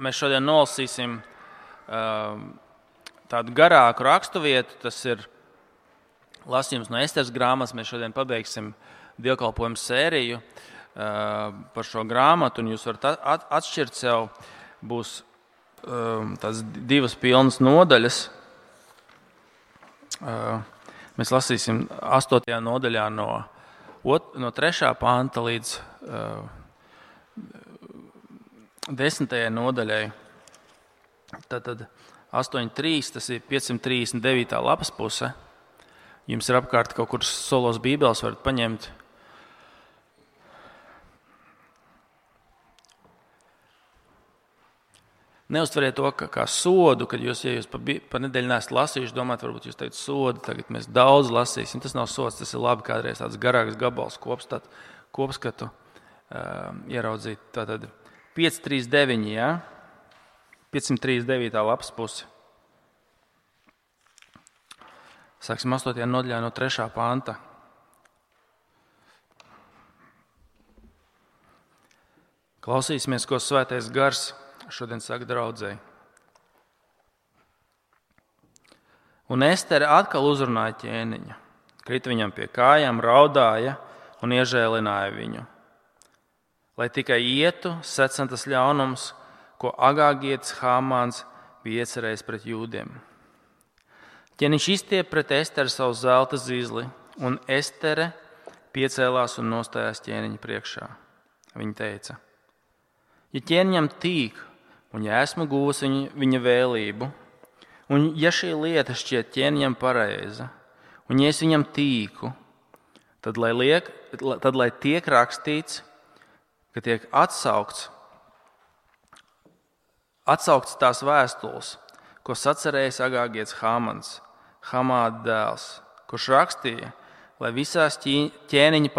Mēs šodien nolasīsim tādu garāku raksturvietu. Tas ir lasījums no Esteras grāmatas. Mēs šodien pabeigsim dievkalpojumu sēriju par šo grāmatu, un jūs varat atšķirt sev. Būs tās 2 pilnas nodaļas. Mēs lasīsim 8. nodaļā no 3. panta līdz 10. nodaļai. Tātad 8.3, tas ir 539. lapas puse. Jums ir apkārt kaut kur solos bībeles, varat paņemt. Neuztveriet to kā sodu, kad ja jūs pa nedēļu neesat lasījuši, domājat, varbūt jūs teicat sodu, tagad mēs daudz lasīsim. Tas nav sods, tas ir labi kādreiz tāds garāks gabals kopskatu ieraudzīt. Tātad 539, ja? 539. lapas pusi. Sāksim 8. nodaļā no 3. panta. Klausīsimies, ko Svētais Gars šodien saka draudzei. Un Estere atkal uzrunāja ķēniņu, krita viņam pie kājām, raudāja un iežēlināja viņu. Lai tikai ietu secentas ļaunums, ko Agāgietis Hāmāns bija iecerējis pret jūdiem. Ķēniņš izstiep pret Esteru savu zelta zīzli, un Estere piecēlās un nostājās ķēniņa priekšā. Viņa teica: ja ķēniņam tīk, un ja esmu guvusi viņa vēlību, un ja šī lieta šķiet ķēniņam pareiza, un ja es viņam tīku, tad lai tiek rakstīts, ka tiek atsaukts tās vēstules, ko sacerējis Agāgietis Hāmans, Hamāda dēls, kurš rakstīja, lai visās ķēniņa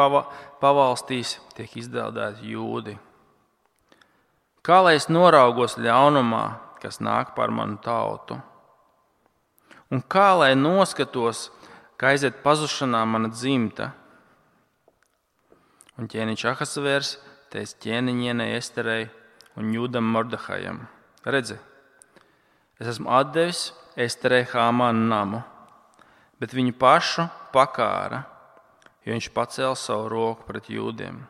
pavalstīs tiek izdēldēti jūdi. Kā lai es noraugos ļaunumā, kas nāk par manu tautu? Un kā lai noskatos, ka aiziet pazušanā mana dzimta? Un ķēniņš Ahasvērs teica ķēniņienei Esterei un jūdam Mordehajam: redzi, es esmu atdevis Esterei Hāmāna namu, bet viņu pašu pakāra, jo viņš pacēla savu roku pret jūdiem.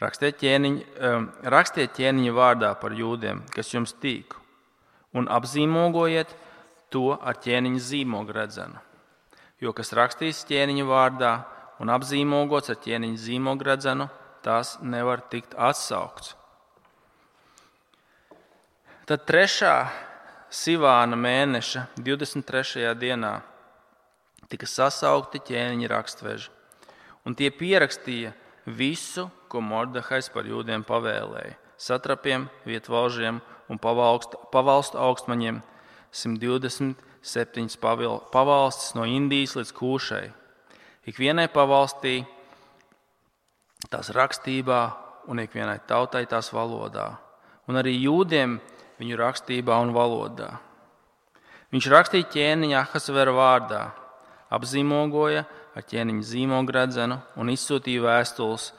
Rakstiet ķēniņa vārdā par jūdiem, kas jums tīk, un apzīmogojiet to ar ķēniņa zīmogredzenu. Jo kas rakstīs ķēniņa vārdā un apzīmogots ar ķēniņa zīmogredzenu, tās nevar tikt atsaukts. Tad 3. Sivāna mēneša 23. dienā tika sasaukti ķēniņa rakstveži, un tie pierakstīja visu, ko Mordehajs par jūdiem pavēlēja, satrapiem, vietvalžiem un pavalstu augstmaņiem, 127 pavalstis no Indijas līdz Kūšai. Ikvienai pavalstī tās rakstībā un ikvienai tautai tās valodā, un arī jūdiem viņu rakstībā un valodā. Viņš rakstīja ķēniņa Ahasvera vārdā, apzīmogoja ar ķēniņa zīmogredzenu un izsūtīja vēstules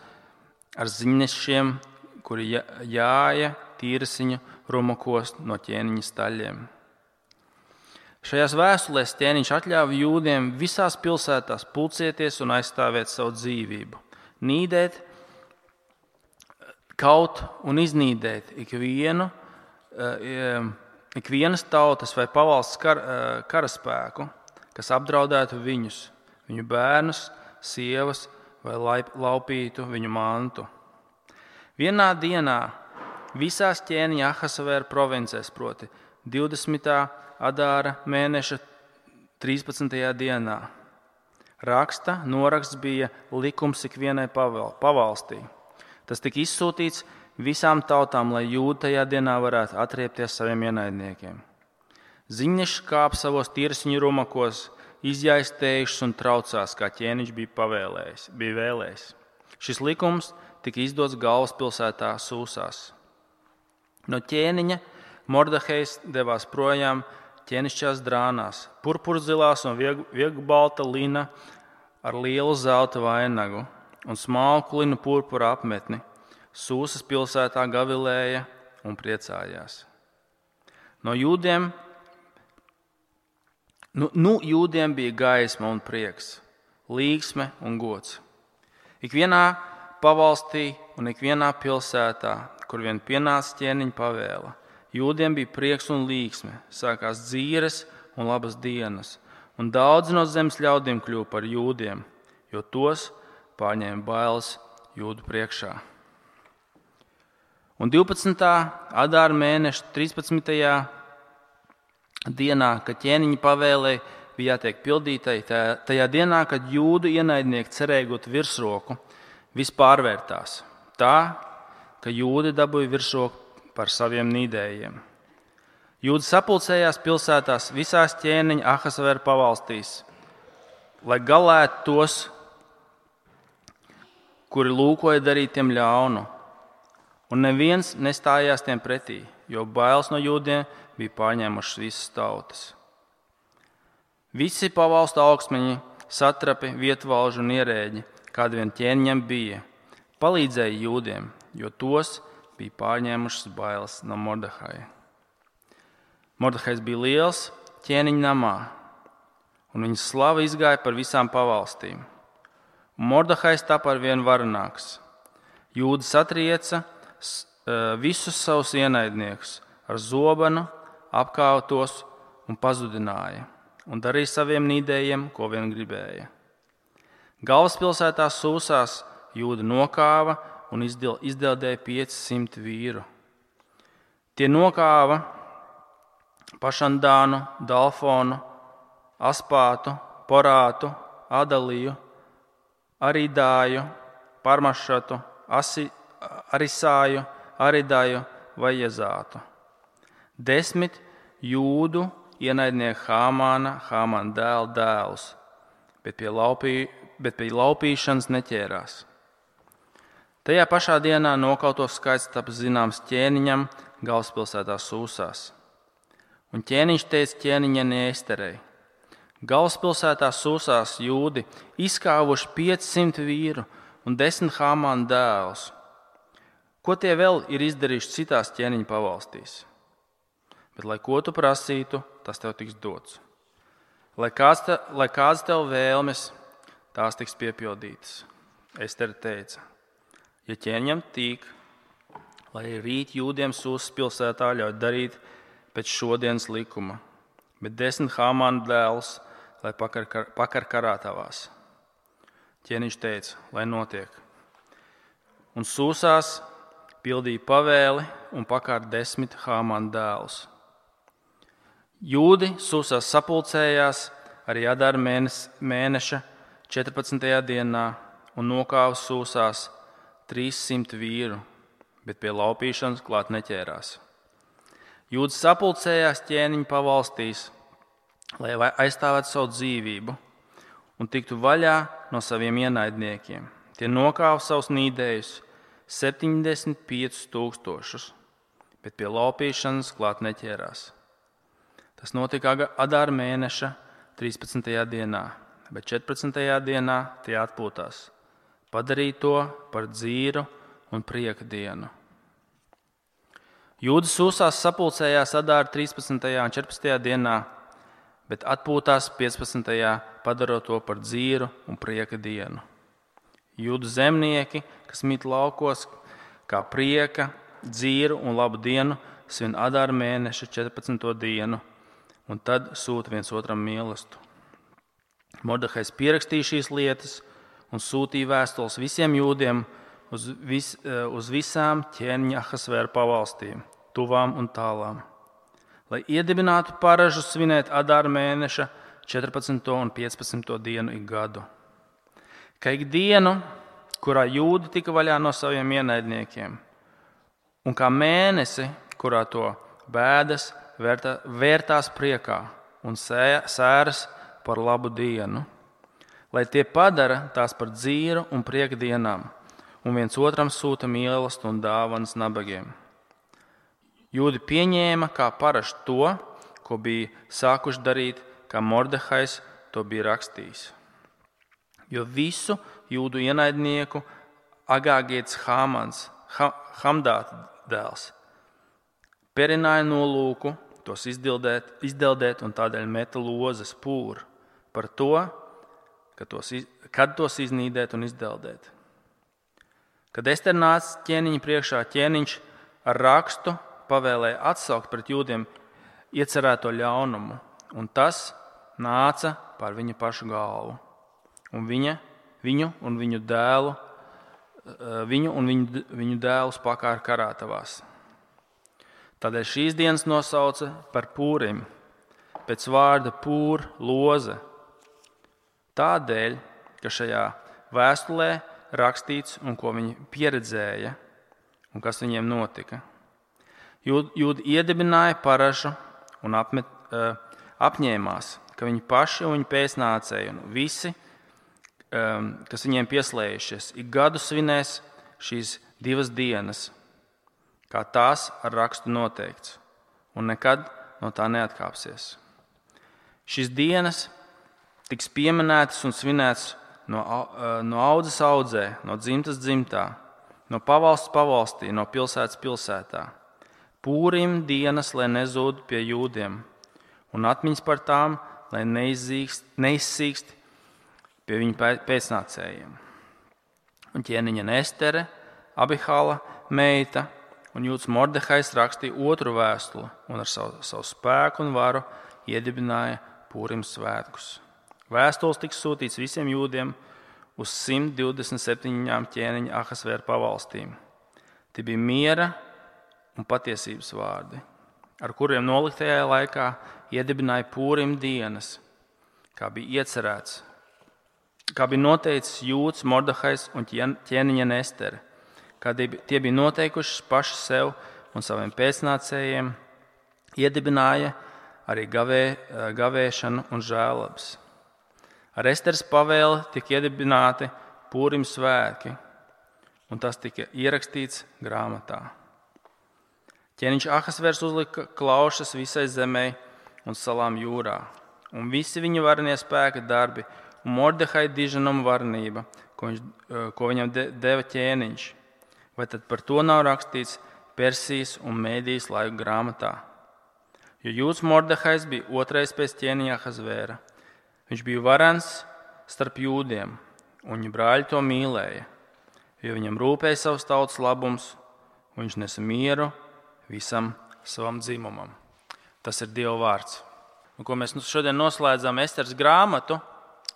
ar ziņnešiem, kuri jāja tīrasiņu rumakos no ķēniņa staļiem. Šajās vēstulēs ķēniņš atļāva jūdiem visās pilsētās pulcēties un aizstāvēt savu dzīvību, nīdēt, kaut un iznīdēt ikvienas tautas vai pavalsts karaspēku, kas apdraudētu viņus, viņu bērnus, sievas vai laupītu viņu mantu. Vienā dienā visās ķēniņa Ahasvēra provincēs, proti 20. Adāra mēneša 13. dienā, noraksts bija likums ikvienai pavalstī. Tas tika izsūtīts visām tautām, lai jūdi tajā dienā varētu atriepties saviem ienaidniekiem. Ziņneši kāp savos tīrasiņu rumakos, izjaistējušas un traucās, kā ķēniņš bija vēlējis. Šis likums tika izdots galvaspilsētā Sūsās. No ķēniņa Mordehejs devās projām ķēnišķās drānās, purpurzilās un viegbalta lina ar lielu zelta vainagu un smalku linu purpura apmetni. Sūsas pilsētā gavilēja un priecājās. Jūdiem bija gaisma un prieks, līgsme un gods. Ikvienā pavalstī un ikvienā pilsētā, kur vien pienāca ķēniņa pavēle, jūdiem bija prieks un līgsme, sākās dzīves un labas dienas, un daudzi no zemes ļaudīm kļuva par jūdiem, jo tos pārņēma bailes jūdu priekšā. Un 12. Adāra mēneša 13. dienā, kad ķēniņa pavēlei bija jātiek pildītai, tajā dienā, kad jūdu ienaidnieki cerēja gūt virsroku, viss pārvērtās tā, ka jūdi dabūja virsroku par saviem nīdējiem. Jūdi sapulcējās pilsētās visās ķēniņa Ahasvēra pavalstīs, lai galētu tos, kuri lūkoja darīt tiem ļaunu, un neviens nestājās tiem pretī, jo bailes no jūdiem bija pārņēmušas visas tautas. Visi pavalstu augstmeņi, satrapi, vietvalži un ierēģi, kādi vien ķēniņam bija, palīdzēja jūdiem, jo tos bija pārņēmušas bailes no Mordehaja. Mordehajs bija liels ķēniņa namā, un viņa slava izgāja par visām pavalstīm. Un Mordehajs tapa ar vien varenāks. Jūdi satrieca visus savus ienaidniekus ar zobenu, apkāva tos un pazudināja, un darīja saviem nīdējiem, ko vien gribēja. Galvaspilsētā Sūsās jūdi nokāva un izdeldēja 500 vīru. Tie nokāva Pašandānu, Dalfonu, Aspātu, Porātu, Adaliju, Aridāju, Parmašatu, Arisāju, Aridāju vai Jezātu. 10 jūdu ienaidnieku Hāmāna dēla dēlus, bet pie laupīšanas neķērās. Tajā pašā dienā nokauto skaits taps zināms ķēniņam galvaspilsētā Sūsās. Un ķēniņš teica ķēniņienei Esterei: galvaspilsētā Sūsās jūdi izkāvuši 500 vīru un 10 Hāmāna dēlus. Ko tie vēl ir izdarījuši citās ķēniņa pavalstīs? Bet, lai ko tu prasītu, tas tev tiks dots. Lai kāds tev vēlmes, tās tiks piepildītas. Estere teica: ja ķēniņam tīk, lai rīt jūdiem Sūsas pilsētā ļauj darīt pēc šodienas likuma, bet 10 Hāmāna dēlus, lai pakar karātavās. Ķēniņš teica: lai notiek. Un Sūsās pildīja pavēli un pakārt 10 Hāmāna dēlus. Jūdi Sūsās sapulcējās arī Adāra mēneša 14. dienā un nokāva Sūsās 300 vīru, bet pie laupīšanas klāt neķērās. Jūdi sapulcējās ķēniņa pavalstīs, lai aizstāvētu savu dzīvību un tiktu vaļā no saviem ienaidniekiem. Tie nokāva savus nīdējus 75 000, bet pie laupīšanas klāt neķērās. Tas notika Adāra mēneša 13. dienā, bet 14. dienā tie atpūtās, padarīja to par dzīru un prieka dienu. Jūdi Sūsās sapulcējās Adāra 13. un 14. dienā, bet atpūtās 15. padarot to par dzīru un prieka dienu. Jūdu zemnieki, kas mīt laukos, kā prieka, dzīru un labu dienu, svin Adāra mēneša 14. dienu, un tad sūta viens otram mīlestību. Mordehajs pierakstīja šīs lietas un sūtīja vēstules visiem jūdiem uz visām ķēniņa Ahasvēra pavalstīm, tuvām un tālām, lai iedibinātu paražu svinēt Adāra mēneša 14. un 15. dienu ik gadu. Ka ik dienu, kurā jūdi tika vaļā no saviem ienaidniekiem, un kā mēnesi, kurā to bēdas vērtās priekā un sēras par labu dienu, lai tie padara tās par dzīru un prieka dienām, un viens otram sūta mīlestību un dāvanas nabagiem. Jūdi pieņēma kā parastu to, ko bija sākuši darīt, kā Mordehajs to bija rakstījis. Jo visu jūdu ienaidnieku Agāgietis Hamdāta dēls perināja nolūku tos izdeldēt un tādēļ meta lozes pūru par to, kad tos iznīdēt un izdeldēt. Kad Estere nāca ķēniņa priekšā, ķēniņš ar rakstu pavēlēja atsaukt pret jūdiem iecerēto ļaunumu, un tas nāca pār viņa pašu galvu. Un viņu un viņu dēlus pakāra karātavās. Tādēļ šīs dienas nosauca par Pūrim, pēc vārda pūr, loze. Tādēļ, ka šajā vēstulē rakstīts un ko viņi pieredzēja un kas viņiem notika. Jūdi iedibināja paražu un apņēmās, ka viņi paši un viņu pēcnācēji un visi, kas viņiem pieslējušies, ik gadu svinēs šīs 2 dienas, kā tās ar rakstu noteikts, un nekad no tā neatkāpsies. Šīs dienas tiks pieminētas un svinētas no audzes audzē, no dzimtas dzimtā, no pavalsts pavalstī, no pilsētas pilsētā. Pūrim dienas, lai nezūd pie jūdiem, un atmiņas par tām, lai neizsīkst pie viņu pēcnācējiem. Un ķēniņa Estere, Abihāla meita un jūds Mordehais rakstīja otru vēstuli un ar savu spēku un varu iedibināja Pūrim svētkus. Vēstules tika sūtīts visiem jūdiem uz 127 ķēniņa Ahasvēra pavalstīm. Tie bija miera un patiesības vārdi, ar kuriem noliktajā laikā iedibināja Pūrim dienas, kā bija iecerēts, kā bija noteicis jūds Mordehais un ķēniņa Estere, kā tie bija noteikuši paši sev un saviem pēcnācējiem, iedibināja arī gavēšanu un žēlabas. Ar Esteres pavēli tika iedibināti Pūrim svētki, un tas tika ierakstīts grāmatā. Ķēniņš Ahasvērs uzlika klaušas visai zemē un salām jūrā, un visi viņa varenie spēka darbi un Mordehai diženuma varenība, ko viņam deva ķēniņš. Vai tad par to nav rakstīts Persijas un Mēdijas laiku grāmatā? Jo jūds Mordehais bija otrais pēc ķēniņa Ahasvēra. Viņš bija varens starp jūdiem, un viņa brāļi to mīlēja, jo viņam rūpēja savs tautas labums, un viņš nesa mieru visam savam dzimumam. Tas ir Dieva vārds. Un, ko mēs šodien noslēdzam Esteres grāmatu,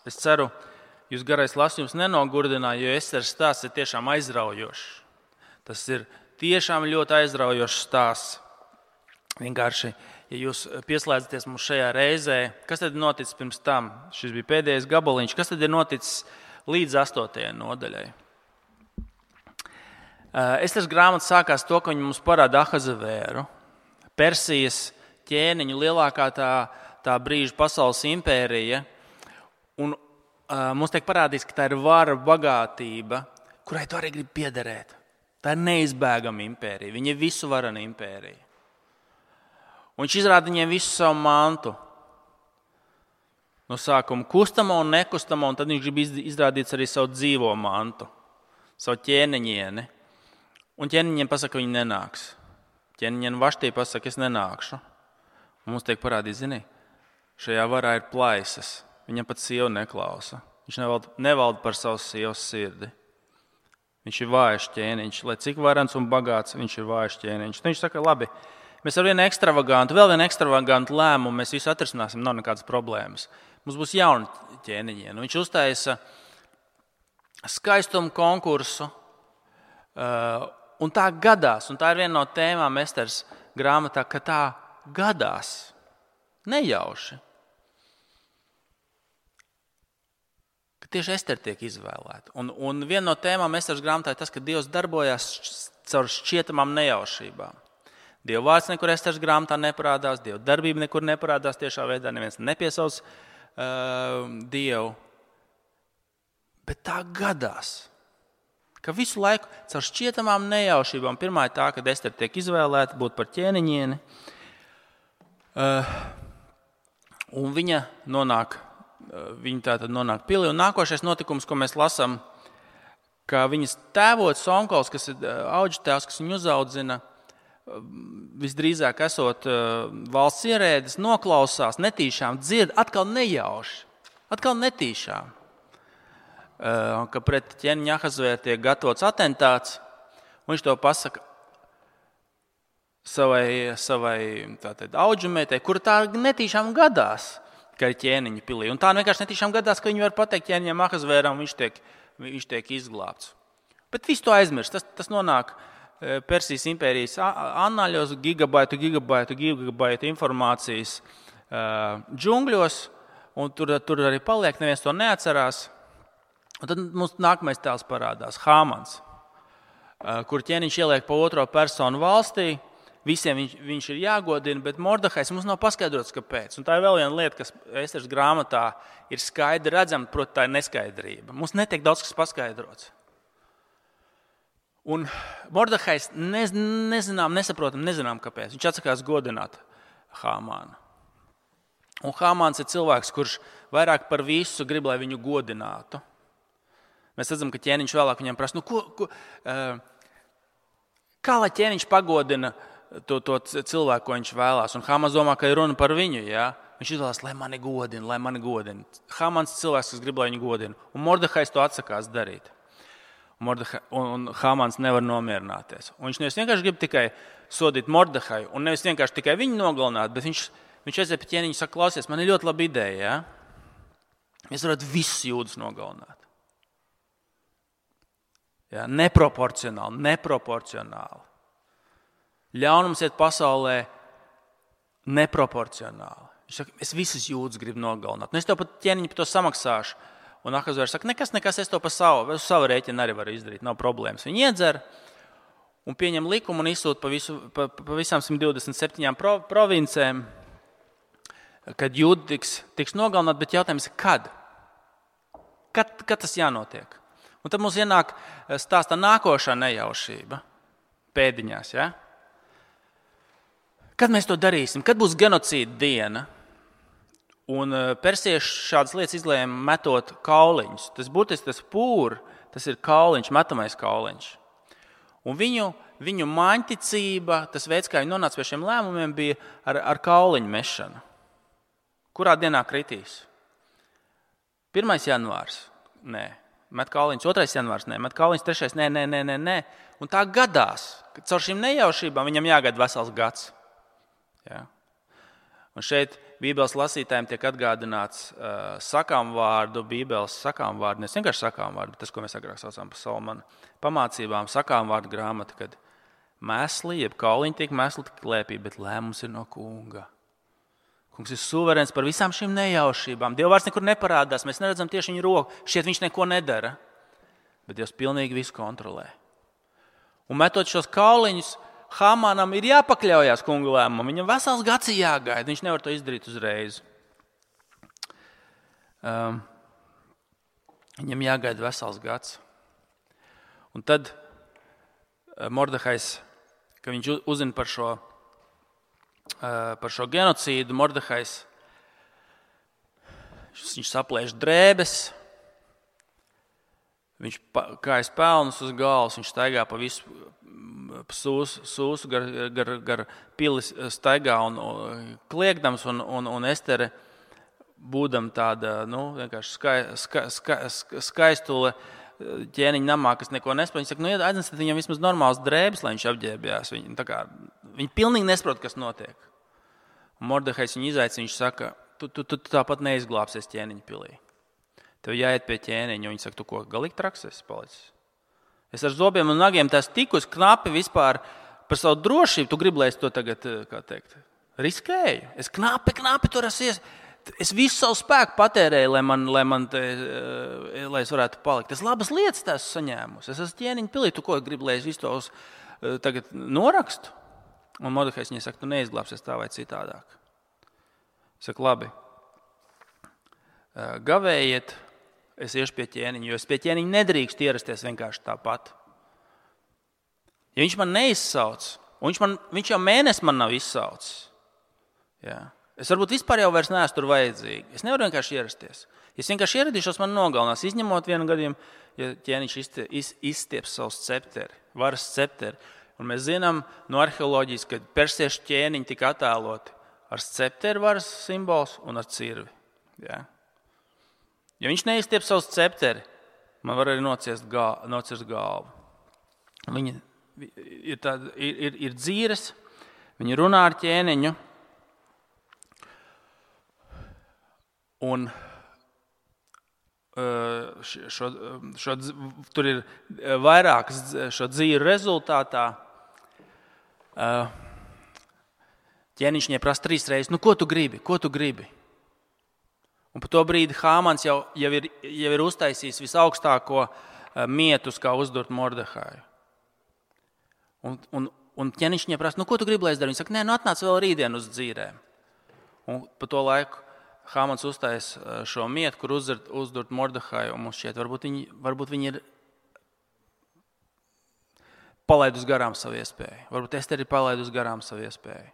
es ceru, jūs garais lasījums nenogurdināja, jo Esteres stāsts ir tiešām aizraujošs. Tas ir tiešām ļoti aizraujošs stāsts. Vienkārši, ja jūs pieslēdzaties mums šajā reizē, kas tad ir noticis pirms tam? Šis bija pēdējais gabaliņš. Kas tad ir noticis līdz 8. nodaļai? Esteres grāmata sākās to, ka viņi mums parāda Ahasvēru, Persijas ķēniņu, lielākā tā brīža pasaules impērija. Un mums tiek parādīts, ka tā ir vara, bagātība, kurai tu arī gribi piederēt. Tā ir neizbēgama impērija. Viņa ir visu varena impērija. Un viņš izrāda viņiem visu savu mantu. No sākuma kustamo un nekustamo, un tad viņš grib izrādīt arī savu dzīvo mantu, savu ķēniņieni. Un ķēniņiem pasaka, ka viņi nenāks. Ķēniņiem Vaštī pasaka, es nenākšu. Un mums tiek parādīt, zini, šajā varā ir plaisas. Viņam pat sieva neklausa. Viņš nevalda par savu sievas sirdi. Viņš ir vājš ķēniņš. Lai cik varens un bagāts, viņš ir vājš ķēniņš. Viņš saka, labi, mēs ar vienu ekstravagantu lēmumu mēs visu atrisināsim, nav nekādas problēmas. Mums būs jauni ķēniņi. Viņš uztaisa skaistumu konkursu, un tā gadās, un tā ir viena no tēmām Esteres grāmatā, ka tā gadās nejauši. Ka tieši Estere tiek izvēlēta. Un viena no tēmām Esteres grāmatā ir tas, ka Dievs darbojās caur šķietamām nejaušībām. Dieva vārds nekur Esteres grāmatā neparādās, Dieva darbība nekur neparādās tiešā veidā, neviens nepiesauc Dievu. Bet tā gadās, ka visu laiku caur šķietamām nejaušībām, pirmā ir tā, kad Estere tiek izvēlēta būt par ķēniņieni, un viņa tātad nonāk pilī, un nākošais notikums, ko mēs lasām, ka viņas tēvots Onkols, kas ir auģu tēvs, kas viņu uzaudzina, visdrīzāk esot valsts ierēdis, noklausās, netīšām dzird, atkal nejauši, atkal netīšām, ka pret ķēniņu Ahasvēru tiek gatavots atentāts, un viņš to pasaka savai audžumētei, kura tā netīšām gadās, ka ir ķēniņa pilī. Un tā vienkārši netīšām gadās, ka viņi var pateikt ķēniņam Ahasvēram, un viņš tiek izglābts. Bet visu to aizmirst. Tas nonāk Persijas impērijas annāļos, gigabaitu informācijas džungļos, un tur arī paliek, neviens to neatcerās. Un tad mums nākamais tēls parādās, Hāmans, kur ķēniņš ieliek pa otro personu valstī, visiem viņš ir jāgodina, bet Mordehais mums nav paskaidrots, kāpēc. Un tā ir vēl viena lieta, kas Esteras grāmatā ir skaidri redzama, proti tā ir neskaidrība. Mums netiek daudz kas paskaidrots. Un Mordehais nezinām kāpēc. Viņš atsakās godināt Hāmānu. Un Hāmāns ir cilvēks, kurš vairāk par visu grib, lai viņu godinātu. Mēs redzam, ka ķēniņš vēlāk viņam prasa, kā lai ķēniņš pagodina to cilvēku, ko viņš vēlās. Un Hāmāns domā, ka ir runa par viņu. Ja? Viņš izvēlās, lai mani godina. Hāmāns ir cilvēks, kas grib, lai viņu godina. Un Mordehais to atsakās darīt. Un Hāmāns nevar nomierināties. Un viņš nevis vienkārši grib tikai sodīt Mordehai, un nevis vienkārši tikai viņu nogalināt, bet viņš aiziet pie ķēniņa un saka, klausies, man ir ļoti laba ideja. Ja? Mēs varētu visus jūdus nogalināt. Ja? Neproporcionāli. Ļaunums iet pasaulē neproporcionāli. Viņš saka, es visus jūdus gribu nogalināt. Un es tev pat ķēniņu par to samaksāšu. Un Ahasvērs saka, nekas, es to pa savu rēķinu arī varu izdarīt, nav problēmas. Viņi iedzer un pieņem likumu un izsūta pa visām 127 provincēm, kad jūdi tiks nogalināt, bet jautājums ir, kad? Kad tas jānotiek? Un tad mums ienāk stāstā nākošā nejaušība pēdiņās. Ja? Kad mēs to darīsim? Kad būs genocīda diena? Un persieši šādas lietas izlēma metot kauliņus. Tas būtiski tas ir kauliņš, metamais kauliņš. Un viņu māņticība, tas veids, kā viņi nonāca pie šiem lēmumiem, bija ar kauliņu mešanu. Kurā dienā kritīs? 1. janvārs? Nē. Met kauliņus 2. janvārs? Nē. Met kauliņus 3. Nē. Un tā gadās, ka caur šīm nejaušībām viņam jāgaida vesels gads. Ja? Un šeit Bībeles lasītājiem tiek atgādināts sakāmvārdu, Bībeles sakāmvārdu, ne vienkārši sakāmvārdu, bet tas, ko mēs agrāk saucām par Salamana pamācībām, sakāmvārdu grāmata, kad mēsli, jeb kauliņi tiek mēsli tik klēpī, bet lēmums ir no kunga. Kungs ir suverēns par visām šīm nejaušībām. Dieva vārds nekur neparādās, mēs neredzam tieši viņa roku, šķiet viņš neko nedara, bet Dievs pilnīgi visu kontrolē. Un metot šos kauliņus, Hāmānam ir jāpakļaujās kunga lēmumam. Viņam vesels gads ir jāgaida. Viņš nevar to izdarīt uzreiz. Viņam jāgaida vesels gads. Un tad Mordehais, ka viņš uzzina par šo genocīdu, Mordehais, viņš saplēš drēbes, viņš kājas pelnus uz galvas, viņš staigā pa visu sūsu gar pilis staigā un kliegdams, un Estere, būdam tāda, vienkārši skaistule ķēniņa namā, kas neko nespēj. Viņa saka, aiznesat viņam vismaz normāls drēbes, lai viņš apģērbjās. Viņi pilnīgi nesaprot, kas notiek. Un Mordehais viņu izaicina, viņš saka, tu tāpat neizglābsies ķēniņa pilī. Tev jāiet pie ķēniņa, un viņi saka, tu ko, galīgi traks esi palicis? Es ar zobiem un nagiem tās tikus knapi vispār par savu drošību. Tu gribi, lai es to tagad, riskēju? Es knapi tur esmu. Es visu savu spēku patērēju, lai es varētu palikt. Es labas lietas tās saņēmusi. Es esmu ķēniņa pilī. Tu ko gribi, lai es visu tos tagad norakstu? Un Mordehais viņai saka, tu neizglābsies tā vai citādāk. Saka, labi. Gavējiet. Es iešu pie ķēniņa, jo es pie ķēniņa nedrīkst ierasties vienkārši tāpat. Ja viņš man neizsauc, un viņš jau mēnesi man nav izsaucis, jā. Es varbūt vispār jau vairs neesmu tur vajadzīgi. Es nevaru vienkārši ierasties. Ja es vienkārši ieradīšos, man nogalinās, izņemot vienu gadījumu, ja ķēniņš izstieps savu varas scepteri. Un mēs zinām no arheoloģijas, ka persiešu ķēniņi tika attēloti ar scepteru varas simbols un ar cirvi. Ja? Ja viņš neizstiep savu scepteri, man var arī nocirst galvu. Viņi ir dzīres, viņi runā ar ķēniņu, un tur ir vairākas šo dzīvu rezultātā. Ķēniņš viņai prasa 3 reizes, ko tu gribi? Un par to brīdi Hāmans jau ir uztaisījis visaugstāko mietus, kā uzdurt Mordehaju. Un ķēniņš viņai prasa, ko tu gribi, lai es daru? Viņa saka, atnāc vēl rītdien uz dzīrēm. Un pa to laiku Hāmans uztais šo mietu, kur uzdurt Mordehaju, un mums šķiet, varbūt viņi ir palaidus garām savu iespēju. Varbūt Esteri ir palaidus garām savu iespēju.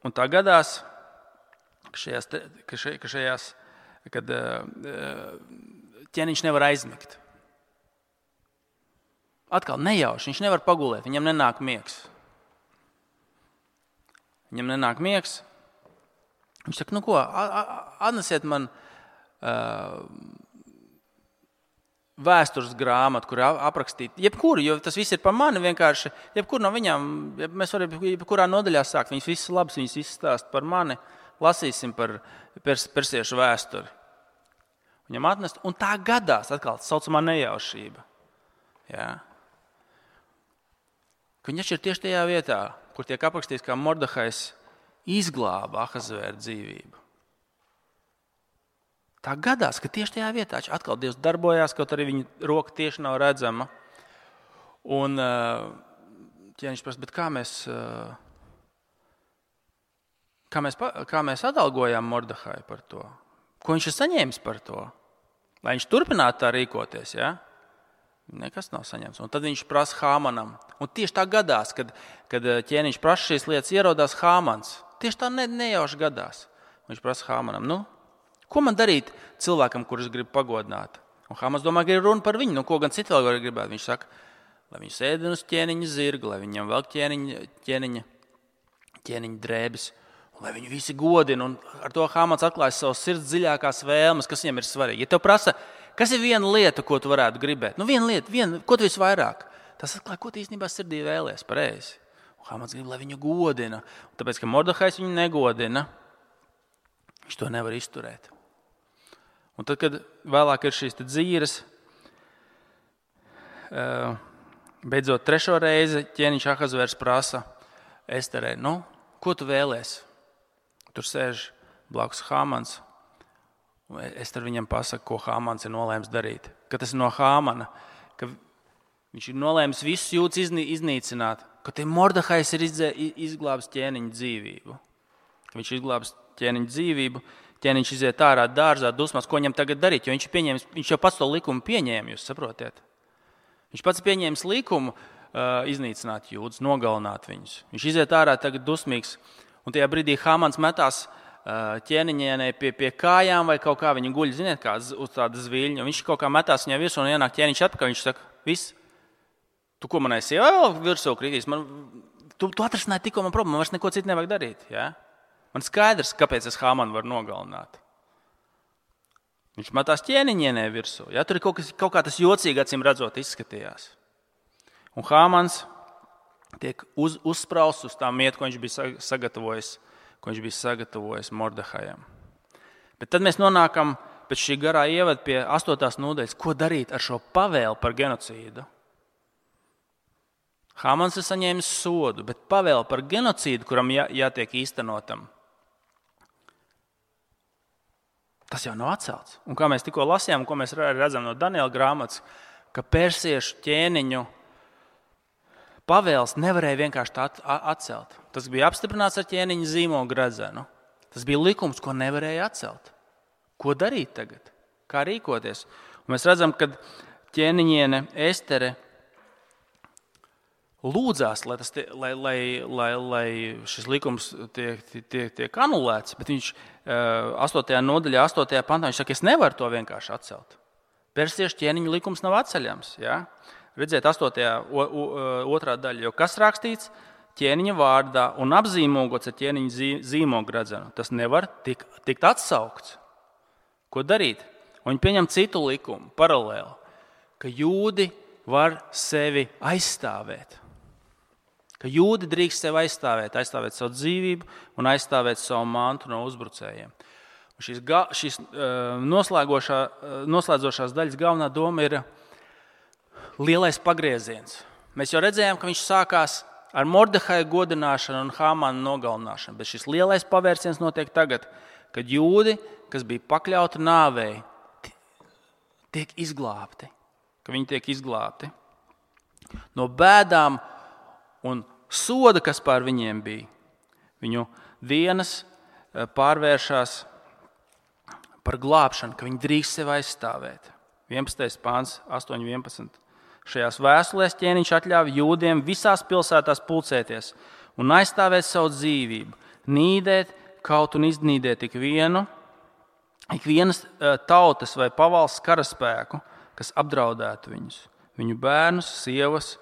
Un tā gadās, kad ķēniņš nevar aizmigt. Atkal nejauši, viņš nevar pagulēt, viņam nenāk miegs. Viņš saka, atnesiet man vēstures grāmatu, kur aprakstīt jebkuru, jo tas viss ir par mani vienkārši. Jebkuru no viņām, mēs varam jebkurā nodaļā sākt, viņas visas labas, viņas izstāst par mani, lasīsim par persiešu vēsturi. Viņam atnest, un tā gadās atkal saucamā nejaušība. Ja? Ka viņš ir tieši tajā vietā, kur tiek aprakstīts, kā Mordehajs izglāba Ahasvēra dzīvību. Tā gadās, ka tieši tajā vietā atkal Dievs darbojās, kaut arī viņa roka tieši nav redzama. Un ķēniņš prasa, bet kā mēs atalgojām Mordehaju par to? Ko viņš ir saņēmis par to? Lai viņš turpinātu tā rīkoties, ja? Nekas nav saņemts. Un tad viņš prasa Hāmanam. Un tieši tā gadās, kad ķēniņš prasa šīs lietas, ierodās Hāmans. Tieši tā nejauši gadās. Viņš prasa Hāmanam, ko man darīt cilvēkam, kurus gribu pagodināt? Un Hāmans domā, ka ir runa par viņu. Ko gan citu vēl var gribēt? Viņš saka, lai viņš ēdina uz ķēniņa zirgu, lai viņam vēl ķēniņa drēbes, un lai viņu visi godina. Un ar to Hāmans atklājas savas sirds dziļākās vēlmes, kas viņam ir svarīgi. Ja tev prasa, kas ir viena lieta, ko tu varētu gribēt? Viena lieta, ko tu visvairāk? Tas atklāja, ko tu īstenībā sirdī vēlies, pareizi. Un Hāmans grib, lai viņu godina. Un tāpēc, ka Mordehajs viņu negodina, viņš to nevar izturēt. Un tad, kad vēlāk ir šīs dzīves, beidzot 3. reizi ķēniņš Ahasvērs prasa Esterei, ko tu vēlies? Tur sēž blakus Hāmans. Ester viņam pasaka, ko Hāmans ir nolēms darīt. Ka tas ir no Hāmana, ka viņš ir nolēms visus jūtas iznīcināt, ka te Mordehajs ir izglābis ķēniņa dzīvību. Ka viņš izglābis ķēniņa dzīvību, ķēniņš iziet ārā dārzā dusmās, ko viņam tagad darīt, jo viņš jau pats to likumu pieņēma, jūs saprotiet. Viņš pats pieņēmis likumu iznīcināt jūdas, nogalināt viņus. Viņš iziet ārā tagad dusmīgs, un tajā brīdī Hāmans metās ķēniņienei pie kājām vai kaut kā viņa guļ, ziniet, kā uz tāda zviļņa. Viņš kaut kā metās viņai virsū un ienāk ķēniņš atpakaļ, viņš saka, viss, tu ko manai sievai vēl virsū kritīs, tu atrasināji tikko man problēmu, man vairs neko citu nevajag darīt, ja? Man skaidrs, kāpēc es Hāmanu varu nogalināt. Viņš metās ķēniņienē virsū. Ja? Tur ir kaut kā tas jocīgi, acīm redzot, izskatījās. Un Hāmans tiek uzsprausts uz tā mietu, ko viņš bija sagatavojis Mordehajam. Bet tad mēs nonākam pēc šī garā ievada pie 8. nodaļas, ko darīt ar šo pavēli par genocīdu. Hāmans ir saņēmis sodu, bet pavēli par genocīdu, kuram jātiek īstenotam, tas jau nav atcelts. Un kā mēs tikko lasījām, ko mēs redzam no Daniela grāmatas, ka persiešu ķēniņu pavēles nevarēja vienkārši tā atcelt. Tas bija apstiprināts ar ķēniņa zīmogu gredzenu. Tas bija likums, ko nevarēja atcelt. Ko darīt tagad? Kā rīkoties? Un mēs redzam, ka ķēniņiene Estere lūdzās, lai šis likums tiek anulēts, bet viņš 8. nodaļā, 8. pantā, viņš saka, es nevaru to vienkārši atcelt. persiešu ķēniņa likums nav atceļams. Ja? Redziet, 8. otrā daļa, jo kas rakstīts ķēniņa vārdā un apzīmogots ar ķēniņa zīmogu redzenu, tas nevar tikt atsaukts. Ko darīt? Viņi pieņem citu likumu, paralēli, ka jūdi var sevi aizstāvēt. Ka jūdi drīkst sevi aizstāvēt savu dzīvību un aizstāvēt savu mantu no uzbrucējiem. Šīs noslēdzošās daļas galvenā doma ir lielais pagrieziens. Mēs jau redzējām, ka viņš sākās ar Mordehai godināšanu un Hāmana nogalināšanu, bet šis lielais pavērsiens notiek tagad, kad jūdi, kas bija pakļauti nāvei, tiek izglābti. Ka viņi tiek izglābti no bēdām un soda, kas pār viņiem bija. Viņu dienas pārvēršās par glābšanu, ka viņi drīkst sevi aizstāvēt. 11. pāns, 8.11. Šajās vēstulēs ķēniņš atļāva jūdiem visās pilsētās pulcēties un aizstāvēt savu dzīvību, nīdēt, kaut un iznīdēt ikvienas tautas vai pavalsts karaspēku, kas apdraudētu viņus, viņu bērnus, sievas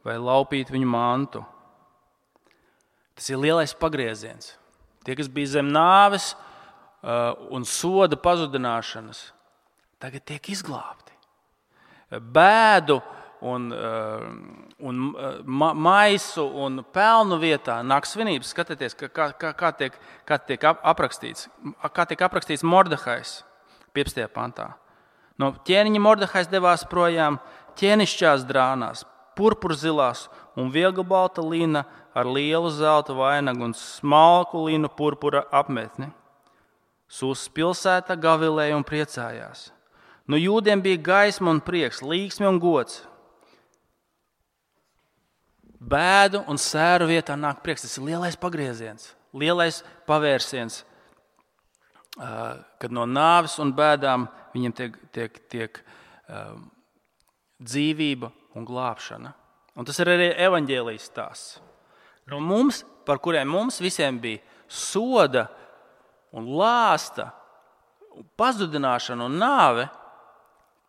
vai laupītu viņu mantu. Tas ir lielais pagrieziens. Tie, kas bija zem nāves un soda pazudināšanas, tagad tiek izglābti. Bēdu un maisu un pelnu vietā nāk svinības. Skatieties, kā tiek aprakstīts Mordehais 15. pantā. No ķēniņa Mordehais devās projām ķēnišķās drānās, purpurzilās un vieglbalta lina ar lielu zelta vainagu un smalku linu purpura apmetni. Sūsas pilsēta gavilēja un priecājās. No jūdiem bija gaisma un prieks, līksme un gods. Bēdu un sēru vietā nāk prieks. Tas ir lielais pagrieziens, lielais pavērsiens, kad no nāves un bēdām viņiem tiek dzīvība un glābšana. Un tas ir arī evaņģēlijas stāsts. No mums, par kuriem mums visiem bija soda un lāsta, pazudināšana un nāve,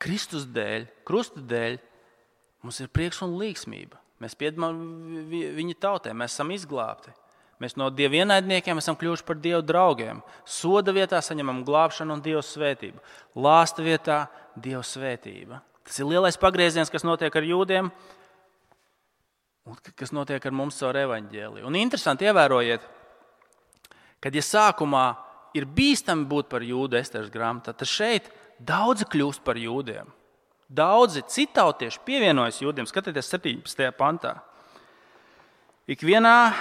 Kristus dēļ, krusta dēļ, mums ir prieks un līgsmība. Mēs piedamām viņa tautai, mēs esam izglābti. Mēs no Dieva ienaidniekiem esam kļuvuši par Dieva draugiem. Soda vietā saņemam glābšanu un Dieva svētību. Lāsta vietā Dieva svētība. Tas ir lielais pagrieziens, kas notiek ar jūdiem un kas notiek ar mums caur evaņģēliju. Un interesanti ievērojiet, kad ja sākumā ir bīstami būt par jūdu Esteras grāmatā, tad šeit daudzi kļūst par jūdiem. Daudzi citautieši pievienojas jūdiem. Skatieties 17. pantā. Ikvienā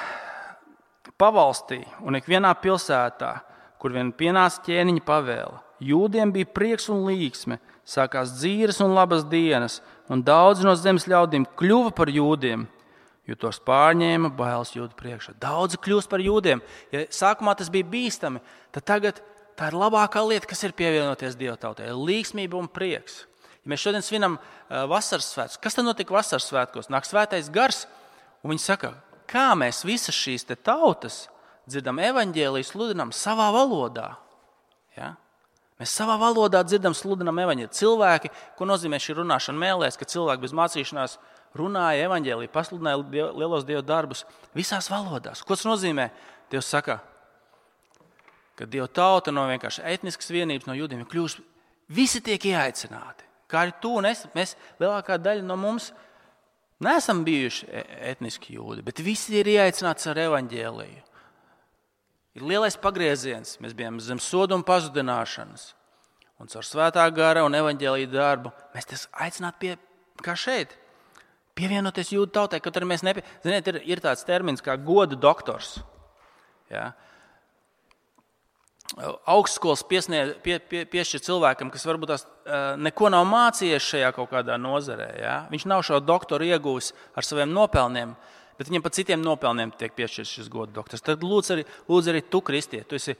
pavalstī un ikvienā pilsētā, kur vien pienāca ķēniņa pavēle, jūdiem bija prieks un līksme, sākās dzīves un labas dienas, un daudzi no zemes ļaudīm kļuva par jūdiem, jo tos pārņēma bailes jūdu priekšā. Daudzi kļūst par jūdiem. Ja sākumā tas bija bīstami, tad tagad tā ir labākā lieta, kas ir pievienoties Dieva tautai. Līksmība un prieks. Ja mēs šodien svinam vasaras svētkus, kas tad notika vasaras svētkos? Nāk svētais gars, un viņi saka, kā mēs visas šīs tautas dzirdam evaņģēliju, sludinam savā valodā. Ja? Mēs savā valodā dzirdam, sludinam evaņģēliju. Cilvēki, ko nozīmē šī runāšana mēlēs, ka cilvēki bez mācīšanās runāja evaņģēliju, pasludināja lielos Dieva darbus visās valodās. Ko tas nozīmē? Dievs saka, ka Dieva tauta no vienkārši etniskas vienības, no jūdiem kļūst, visi tiek ieaicināti. Kā arī tu un es, mēs lielākā daļa no mums neesam bijuši etniski jūdi, bet visi ir ieaicināti ar evaņģēliju. Ir lielais pagrieziens, mēs bijām zem soda un pazudināšanas. Un caur svētā gara un evaņģēliju darbu mēs tas aicināti kā šeit, pievienoties jūdu tautai, kaut arī mēs Ziniet, ir tāds termins kā goda doktors. Ja? Augstskolas piešķir cilvēkam, kas varbūt tās neko nav mācījies šajā kaut kādā nozarē. Ja? Viņš nav šo doktoru ieguvis ar saviem nopelniem, bet viņam par citiem nopelniem tiek piešķirts šis goda doktors. Tad lūdzu arī tu, kristie, tu esi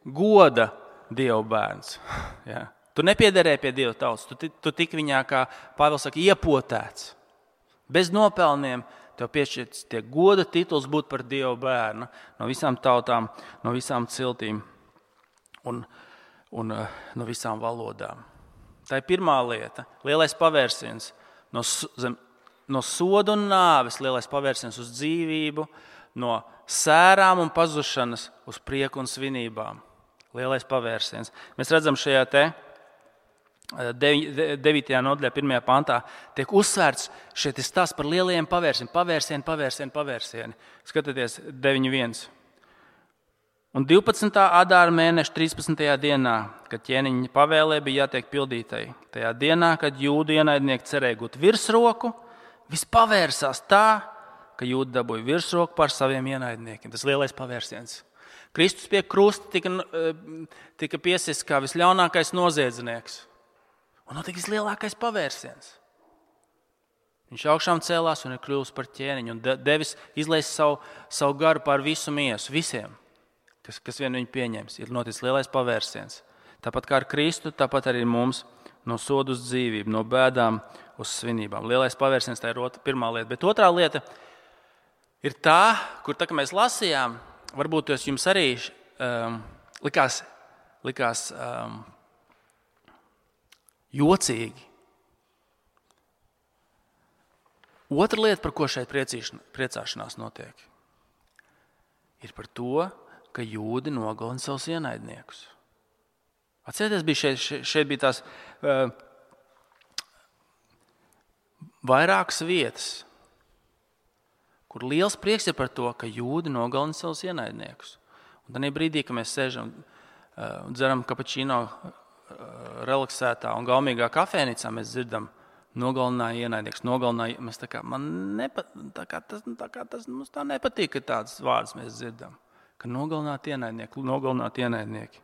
goda Dieva bērns. Ja? Tu nepiederēji pie Dieva tautas, tu tik viņā, kā Pāvils saka, iepotēts. Bez nopelniem tev piešķirts tiek goda tituls būt par Dieva bērnu no visām tautām, no visām ciltīm. Un no visām valodām. Tā ir pirmā lieta, lielais pavērsiens. No soda un nāves lielais pavērsiens uz dzīvību, no sērām un pazušanas uz prieku un svinībām. Lielais pavērsiens. Mēs redzam šajā 9. nodaļā, 1. pantā, tiek uzsvērts šeit stāsts par lielajiem pavērsieni. Skatieties, 9.1. Un 12. adāra mēneša 13. dienā, kad ķēniņa pavēlē bija jātiek pildītai, tajā dienā, kad jūdu ienaidnieki cerēja gūt virsroku, viss pavērsās tā, ka jūdi dabūja virsroku pār saviem ienaidniekiem. Tas lielais pavērsiens. Kristus pie krusta tika piesists kā visļaunākais noziedznieks. Un notika vislielākais pavērsiens. Viņš augšām cēlās un ir kļuvis par ķēniņu un devis izlaist savu garu pār visu miesu, visiem, kas vien viņu pieņems. Ir noticis lielais pavērsiens. Tāpat kā ar Kristu, tāpat arī mums no soda uz dzīvību, no bēdām uz svinībām. Lielais pavērsiens, tā ir pirmā lieta. Bet otrā lieta ir tā, kur tā, mēs lasījām, varbūt tas jums arī likās jocīgi. Otra lieta, par ko šeit priecāšanās notiek, ir par to, ka jūdi nogalina savus ienaidniekus. Atcerieties, šeit bija tās vairākas vietas, kur liels prieks ir par to, ka jūdi nogalina savus ienaidniekus. Un tad brīdī, kad mēs sēžam un dzeram kapučīno relaksētā un gaumīgā kafēnīcā, mēs dzirdam, nogalināja ienaidnieks, mēs mums tā nepatīk, ka tādas vārdas mēs dzirdam, ka nogalināt ienaidnieki.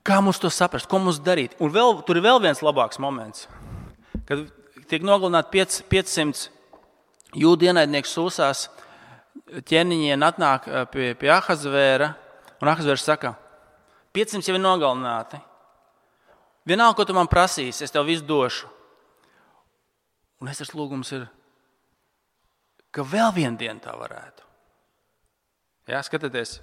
Kā mums to saprast, ko mums darīt? Un tur ir vēl viens labāks moments, kad tiek nogalināti 500 jūdu ienaidnieki Sūsās, ķēniņiem atnāk pie Ahasvēra, un Ahasvērs saka, 500 jau ir nogalināti. Vienalga, ko tu man prasīsi, es tev visu došu. Un es lūgums ir, ka vēl vienu dienu tā varētu. Jā, skatieties.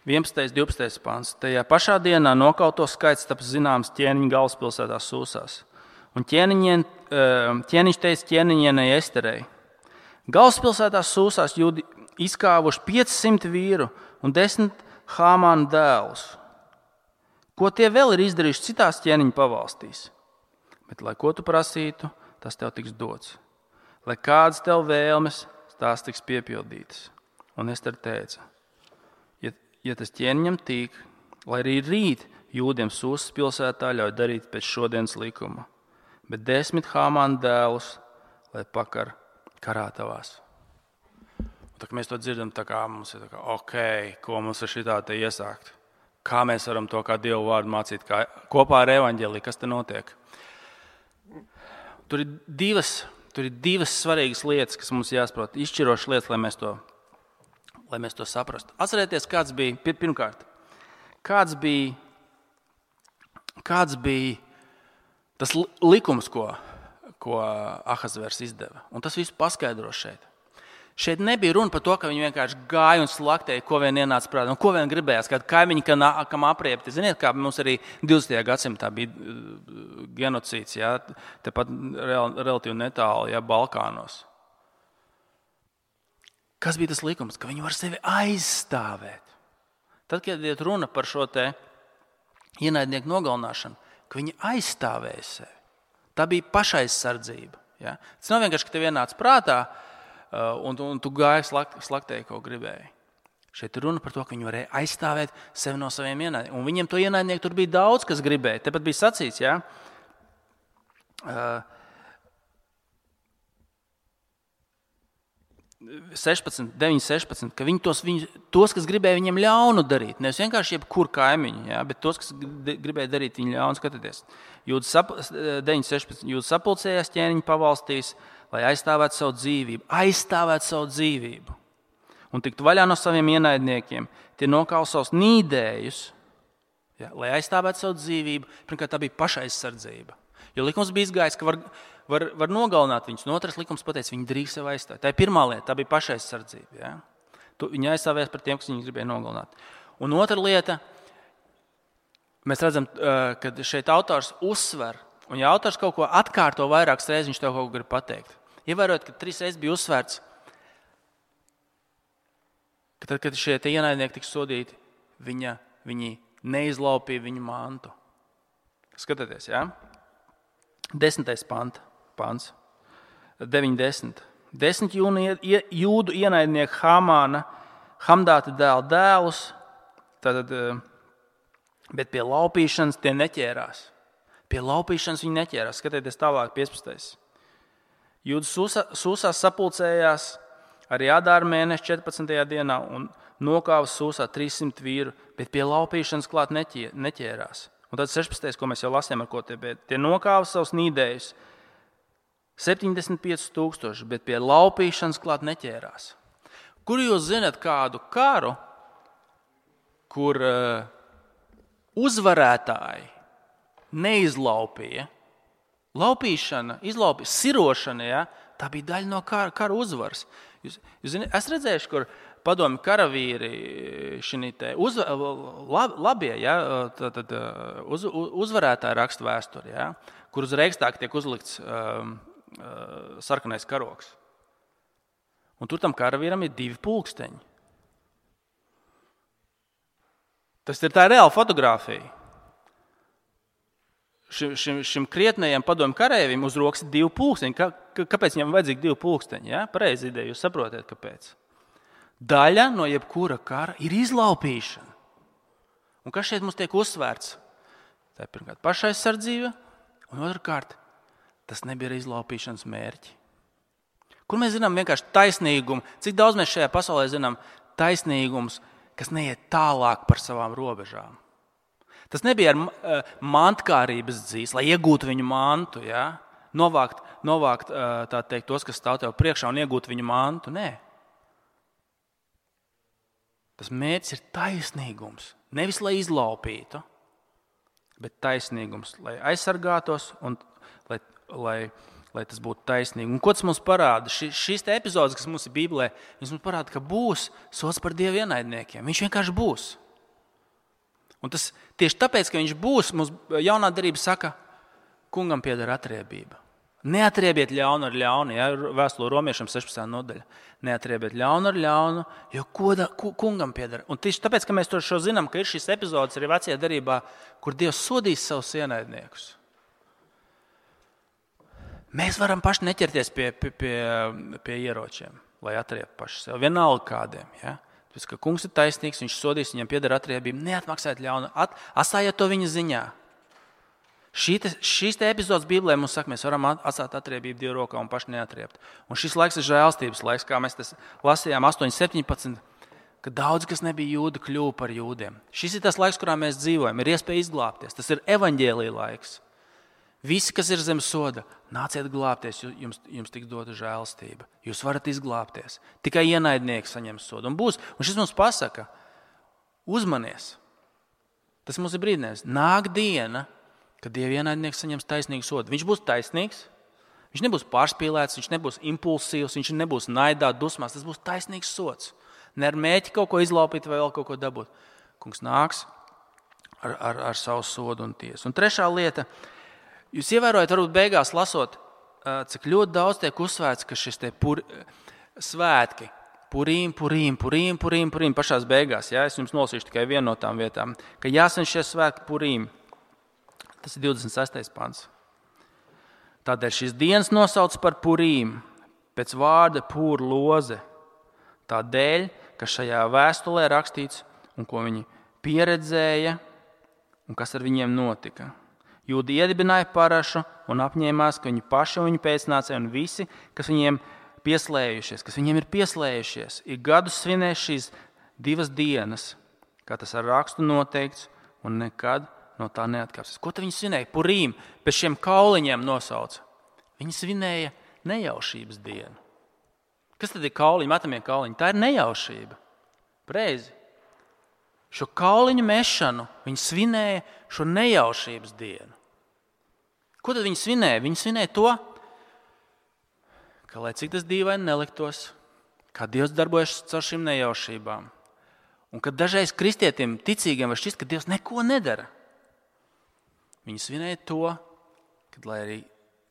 11. 12. pants. Tajā pašā dienā nokauto skaits taps zināms ķēniņa galvaspilsētā Sūsās. Un ķēniņš teica ķēniņienei Esterei. Galvaspilsētā Sūsās jūdi izkāvuši 500 vīru un 10 Hāmāna dēlus. Ko tie vēl ir izdarījuši citās ķēniņa pavalstīs? Bet, lai ko tu prasītu, tas tev tiks dots. Lai kādas tev vēlmes, tās tiks piepildītas. Un Ester teica, ja tas ķēniņam tīk, lai arī rīt jūdiem Sūsas pilsētā ļauj darīt pēc šodienas likuma, bet 10 Hāmāna dēlus, lai pakar karātavās. Un tā, mēs to dzirdam, tā kā mums ir ko mums ar šitā te iesākt? Kā mēs varam to kā Dievu vārdu mācīt, kā kopā ar evaņģēliju, kas te notiek? Tur ir divas svarīgas lietas, kas mums jāsaprot, izšķirošas lietas, lai mēs to saprastu. Atcerieties, kāds bija tas likums, ko Ahasvērs izdeva. Un tas viss paskaidro šeit. Šeit nebija runa par to, ka viņi vienkārši gāja un slaktēja, ko vien ienāca prātā, un ko vien gribējās, kādi kaimiņi, kam apriepti. Ziniet, kā mums arī 20. gadsimtā bija genocīds, jā, tepat relatīvi netālu, jā, Balkānos. Kas bija tas likums? Ka viņi var sevi aizstāvēt. Tad, kad iet runa par šo te ienaidnieku nogalināšanu, ka viņi aizstāvēja sevi. Tā bija pašaizsardzība. Jā. Tas nav vienkārši, ka tev ienāca prātā, un tu gāji slaktēji, ko gribēji. Šeit ir runa par to, ka viņi varēja aizstāvēt sevi no saviem ienaidniekiem. Un viņiem to ienaidnieku tur bija daudz, kas gribēja. Tepat bija sacīts, jā. 9.16, ka viņi tos, kas gribēja viņiem ļaunu darīt, nevis vienkārši jebkur kaimiņu, jā, bet tos, kas gribēja darīt viņu ļaunu, skatieties. 9.16. Jūdas sapulcējās ķēniņa pavalstīs, lai aizstāvētu savu dzīvību un tiktu vaļā no saviem ienaidniekiem. Tie nokauj savus nīdējus, jā, lai aizstāvētu savu dzīvību. Pirmkārt, tā bija pašaizsardzība. Jo likums bija izgājis, ka var nogalināt viņus. Un otrs likums pateica, viņi drīkst sev aizstāvēt. Tā ir pirmā lieta, tā bija pašaizsardzība. Ja? Viņi aizstāvēs par tiem, kas viņus gribēja nogalināt. Un otra lieta, mēs redzam, ka šeit autors uzsver, un ja autors kaut ko atkārto vairākas reizes, viņš tev kaut ko grib pateikt. Ievērojot, ka 3 reizes bija uzsvērts, ka tad, kad šie ienaidnieki tiks sodīti, viņi neizlaupīja viņu mantu. Skatieties, jā? 10. pants. 9.10. 10 jūdu ienaidnieku Hamdāta dēla dēlus, bet pie laupīšanas tie neķērās. Pie laupīšanas viņi neķērās. Skatieties tālāk, 15. Jūdas Sūsā sapulcējās arī Adāra mēneša 14. dienā un nokāva Sūsā 300 vīru, bet pie laupīšanas klāt neķērās. Un tad 16. ko mēs jau lasījām, ar ko tie nokāva savus nīdējus 75,000, bet pie laupīšanas klāt neķērās. Kur jūs zināt kādu karu, kur uzvarētāji neizlaupīja? Laupīšana, sirošana, ja, tā bija daļa no kara uzvaras. Jūs zināt, es redzējuši, kur padomju karavīri labie, ja, uzvarētāji raksta vēsturi, ja, kur uz Reikstāga tiek uzlikts sarkanais karogs. Un tur tam karavīram ir 2 pulksteņi. Tas ir tā reāla fotografija. Šim krietnējam padomju kareivim uz rokas ir 2 pulksteņi. Kāpēc viņam vajadzīgi 2 pulksteņi? Ja? Pareizi ideja, jūs saprotat, kāpēc. Daļa no jebkura kara ir izlaupīšana. Un kas šeit mums tiek uzsvērts? Tā ir pirmkārt pašaizsardzība, un otrkārt, tas nebija izlaupīšanas mērķi. Kur mēs zinām vienkārši taisnīgumu? Cik daudz mēs šajā pasaulē zinām taisnīgums, kas neiet tālāk par savām robežām? Tas nebija ar mantkārības dzīs, lai iegūtu viņu mantu, ja? Novākt tā teikt, tos, kas stāv tev priekšā un iegūt viņu mantu. Nē. Tas mērķis ir taisnīgums. Nevis, lai izlaupītu, bet taisnīgums, lai aizsargātos un lai tas būtu taisnīgi. Un ko tas mums parāda? Šīs epizodes, kas mums ir Bībelē, viņš mums parāda, ka būs sods par Dieva ienaidniekiem. Viņš vienkārši būs. Un tas tieši tāpēc, ka viņš būs, mums jaunā darība saka, kungam pieder atriebība. Neatriebiet ļaunu ar ļaunu, ja, vēstule Romiešiem 16. nodaļa. Neatriebiet ļaunu ar ļaunu, jo kungam pieder. Un tieši tāpēc, ka mēs to zinām, ka ir šīs epizodes arī vecajā darībā, kur Dievs sodīs savus ienaidniekus. Mēs varam paši neķerties pie ieročiem, lai atriebtu paši sev. Vienalga kādiem. Ja? Tāpēc, ka kungs ir taisnīgs, viņš sodīs, viņam pieder atriebība. Neatmaksājiet ļaunu, atstājiet to viņa ziņā. Šīs epizodes Bībelē mums saka, mēs varam atstāt atriebību Dieva rokā un paši neatriebt. Un šis laiks ir žēlstības laiks, kā mēs tas lasījām 8.17, ka daudz, kas nebija jūdi, kļuva par jūdiem. Šis ir tas laiks, kurā mēs dzīvojam, ir iespēja izglābties. Tas ir evaņģēlija laiks. Visi, kas ir zem soda, nāciet glābties, jums tiks dota žēlstība. Jūs varat izglābties. Tikai ienaidnieki saņems sodu. Un šis mums pasaka, uzmanies. Tas mums ir brīdinājums. Nāk diena, kad Dieva ienaidnieks saņems taisnīgu sodu. Viņš būs taisnīgs, viņš nebūs pārspīlēts, viņš nebūs impulsīvs, viņš nebūs naidā, dusmās. Tas būs taisnīgs sods. Ne ar mēķi kaut ko izlaupīt vai vēl kaut ko dabūt. Kungs nāks ar savu sodu un tiesu. Un trešā lieta, jūs ievērojat, varbūt beigās lasot, cik ļoti daudz tiek uzsvērts, ka šis te svētki, Purīm, pašās beigās, ja? Es jums nolasīšu tikai vienu no tām vietām, ka jāsvin šie svētki Purīm. Tas ir 26. pants. Tādēļ šīs dienas nosauc par Purīm, pēc vārda pūr loze. Tādēļ, ka šajā vēstulē rakstīts, un ko viņi pieredzēja, un kas ar viņiem notika. Jūdi iedibināja parašu un apņēmās, ka viņi paši un viņu pēcnācēji un visi, kas viņiem ir pieslējušies, ir gadus svinēs šīs 2 dienas, kā tas ar rakstu noteikts, un nekad no tā neatkāpsies. Ko tad viņi svinēja? Purīm, pēc šiem kauliņiem nosauca. Viņi svinēja nejaušības dienu. Kas tad ir kauliņi, metamie kauliņi? Tā ir nejaušība. Preizi. Šo kauliņu mešanu viņi svinēja šo nejaušības dienu. Ko tad viņi svinēja? Viņi svinēja to, ka lai cik tas dīvaini neliktos, kā Dievs darbojas caur šīm nejaušībām. Un kad dažreiz kristietim, ticīgiem var šķist, ka Dievs neko nedara. Viņi svinēja to, kad, lai arī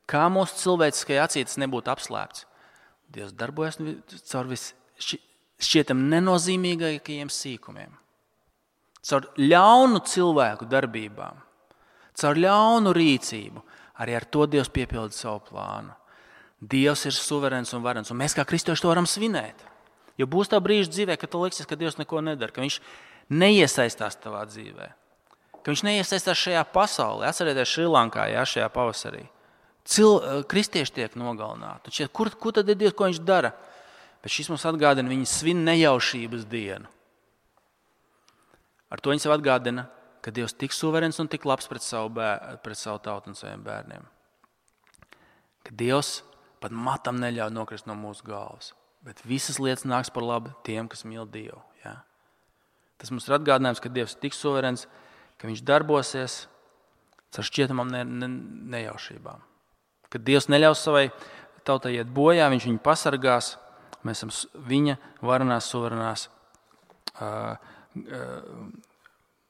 kā mūsu cilvēciskajā acī tas nebūtu apslēpts, Dievs darbojas caur šķietam nenozīmīgākajiem sīkumiem, caur ļaunu cilvēku darbībām, caur ļaunu rīcību. Arī ar to Dievs piepilda savu plānu. Dievs ir suverēns un varens, un mēs kā kristieši to varam svinēt. Jo būs tā brīža dzīvē, ka tu liksies, ka Dievs neko nedara, ka viņš neiesaistās tavā dzīvē, ka viņš neiesaistās šajā pasaulē. Atcerieties Šrilankā, šajā pavasarī. Kristieši tiek nogalināti. Šķiet, kur tad ir Dievs, ko viņš dara? Bet šis mums atgādina, viņi svin nejaušības dienu. Ar to viņi sev atgādina, ka Dievs tik suverēns un tik labs pret savu tautu un saviem bērniem. Ka Dievs pat matam neļauj nokrist no mūsu galvas, bet visas lietas nāks par labu tiem, kas mīl Dievu. Ja? Tas mums ir atgādinājums, ka Dievs ir tik suverēns, ka viņš darbosies caur šķietamām nejaušībām. Kad Dievs neļaus savai tautai iet bojā, viņš viņu pasargās, mēs esam viņa varenās, suverenās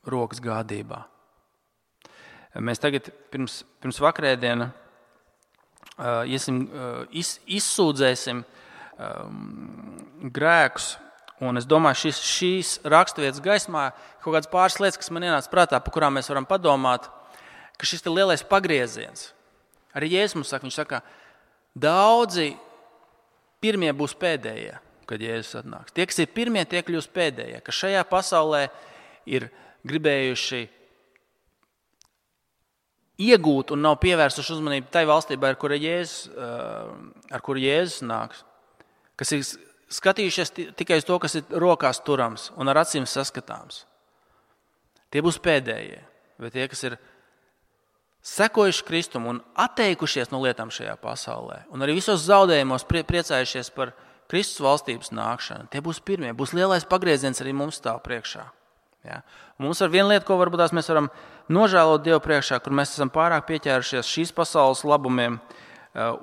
rokas gādībā. Mēs tagad pirms vakarēdiena izsūdzēsim grēkus, un es domāju, šīs raksturvietas gaismā kaut kādas pāris lietas, kas man ienāca prātā, par kurām mēs varam padomāt, ka šis ir lielais pagrieziens. Arī Jēzus mums saka, viņš saka, daudzi pirmie būs pēdējie, kad Jēzus atnāks. Tie, kas ir pirmie, tie kļūs pēdējie, ka šajā pasaulē ir gribējuši iegūt un nav pievērsuši uzmanību tai valstībai, ar kuru Jēzus nāks, kas ir skatījušies tikai uz to, kas ir rokās turams un ar acīm saskatāms. Tie būs pēdējie, bet tie, kas ir sekojuši Kristumu un atteikušies no lietām šajā pasaulē un arī visos zaudējumos priecājušies par Kristus valstības nākšanu, tie būs pirmie, būs lielais pagrieziens arī mums stāv priekšā. Ja? Mums ar vienu lietu, ko varbūt mēs varam nožēlot Dievu priekšā, kur mēs esam pārāk pieķērušies šīs pasaules labumiem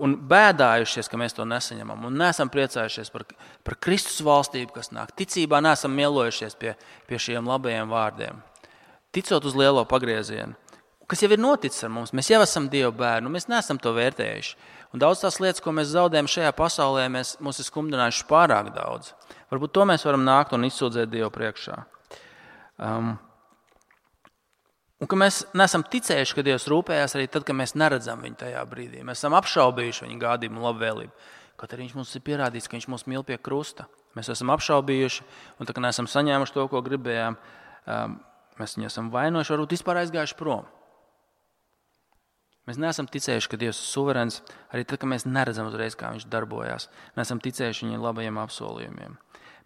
un bēdājušies, ka mēs to nesaņemam un neesam priecājušies par Kristus valstību, kas nāk. Ticībā neesam mielojušies pie šiem labajiem vārdiem. Ticot uz lielo pagriezienu, kas jau ir noticis ar mums, mēs jau esam Dieva bērni, mēs neesam to vērtējuši. Un daudz tās lietas, ko mēs zaudējam šajā pasaulē, mūs ir skumdinājuši pārāk daudz. Varbūt to mēs varam nākt un izsūdzēt Dievu priekšā. Un ka mēs neesam ticējuši, ka Dievs rūpējās arī tad, kad mēs neredzam viņu tajā brīdī. Mēs esam apšaubījuši viņa gādību un labvēlību. Kaut arī viņš mums ir pierādījis, ka viņš mūs mīl pie krusta. Mēs esam apšaubījuši, un tā kā neesam saņēmuši to, ko gribējām, mēs viņu esam vainojuši, varbūt vispār aizgājuši prom. Mēs neesam ticējuši, ka Dievs ir suverēns, arī tad, kad mēs neredzam uzreiz, kā viņš darbojās. Neesam ticējuši viņa labajiem apsolījumiem.